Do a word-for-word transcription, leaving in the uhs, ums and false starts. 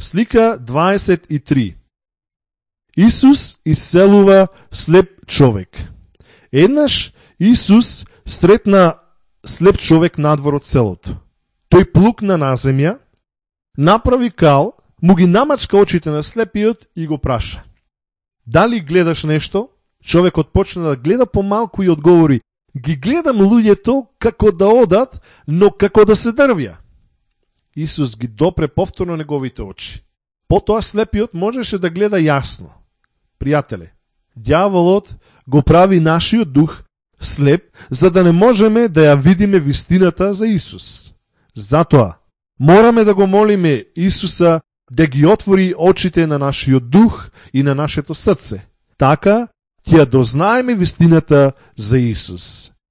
Слика дваесет и три. Исус исцелува слеп човек. Еднаш Исус сретна слеп човек надвор од селото. Тој плукна на земја, направи кал, му ги намачка очите на слепиот и го праша: дали гледаш нешто? Човекот почна да гледа помалку и одговори: ги гледам луѓето како да одат, но како да се дрвја. Исус ги допре повторно неговите очи. Потоа слепиот можеше да гледа јасно. Пријателе, ѓаволот го прави нашиот дух слеп, за да не можеме да ја видиме вистината за Исус. Затоа, мораме да го молиме Исуса да ги отвори очите на нашиот дух и на нашето срце. Така, ќе ја дознаеме вистината за Исус.